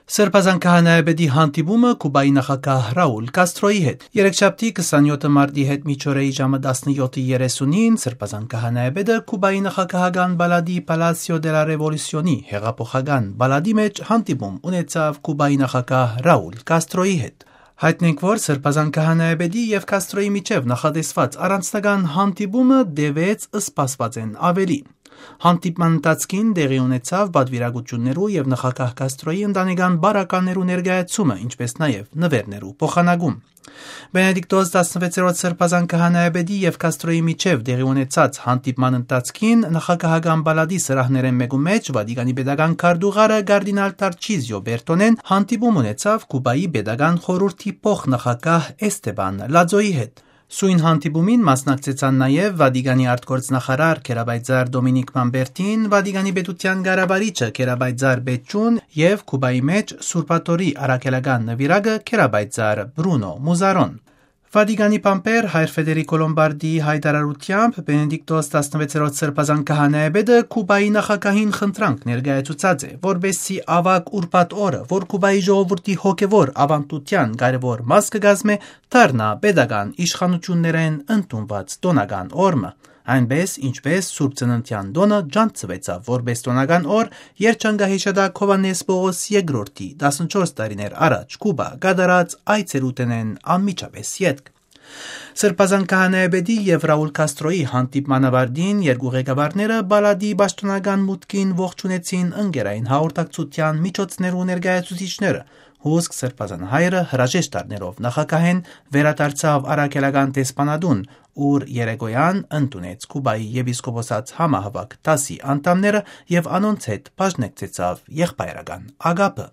Սրբազան քահանայապետի հանդիպումը Կուբայի նախագահ Ռաուլ Կաստրոյի հետ։ Երեքշաբթի 27 մարտի հետ միջօրեի ժամը 17:30-ին Սրբազան քահանայապետը Կուբայի նախագահական բալադի Պալասիո դե լա Ռևոլյուսիոնի հեղափոխական բալադի մեջ հանդիպում ունեցավ Կուբայի նախագահ Ռաուլ Կաստրոյի հետ։ Հայտնենք, որ Սրբազան քահանայապետի եւ Կաստրոյի միջև նախատեսված առանձնական հանդիպումը դեվեց սպասվածեն ավելի։ Հանդիպման ընթացքին տեղի ունեցավ պատվիրակություններու եւ նախագահ Կաստրոյի ընտանեկան բարականերու ներկայացումը, ինչպես նաեւ նվերներու փոխանակում։ Բենեդիկտոս 16-րդ Սրբազան քահանայապետի եւ Կաստրոյի միջև տեղի ունեցած հանդիպման ընթացքին նախագահական բալադի սրահներեն մեկու մեջ Վատիկանի պետական քարտուղարը կարդինալ Տարչիզիո Բերտոնեն հանդիպում ունեցավ Կուբայի պետական խորհրդի փոխնախագահ Էստեբան Լաձոյի հետ։ Սույն հանդիպումին մասնակցեցան նաև Վատիկանի արտգործնախարար Քերաբայձար Դոմինիկ Մամբերտին, Վատիկանի պետության ղարավարիչը Քերաբայձար Բեչուն եւ Կուբայի մեջ Սուրբատորի առաքելական նվիրագը Քերաբայձար Բրունո Մուզարոն։ Վատիկանի պամպեր հայր Ֆեդերիկո Լոմբարդիի հայտարարությամբ Բենեդիկտոս 16-րդ Սրբազան քահանայապետը Կուբայի նախագահին խնդրանք ներկայացուցած է, որբեսզի ավագ ուրբաթ օրը, որ Կուբայի ժողովրդի հոգևոր ավանդության կարևոր մաս կգազմե, դառնա պետական իշխանություններեն ընդունված տոնական օրը, այնպես ինչպես Սուրբ Ծննդյան տոնը ջանցվեցավ որպես տոնական օր երջանկահիշատակ Հովհաննես Պողոս II 14 տարիներ առաջ Կուբա կատարած այցելութենեն անմիջապես ետք։ Սրբազան քահանայապետի եւ Ռաուլ Կաստրոյի հանդիպման ավարտին երկու ղեկավարները բալադի պաշտոնական մուտքին ողջունեցին ընկերային հաղորդակցության միջոցներու ներկայացուցիչները։ Հուսք Սրբազան հայրը հրաժեշտ առնելով նախագահեն վերադարձավ առաքելական դեսպանատուն, ուր երեկոյան ընդունեց Կուբայի եպիսկոպոսած համահավաք դասի անդամները եւ անոնց հետ բաժնեկցեցավ եղբայրական ագապը։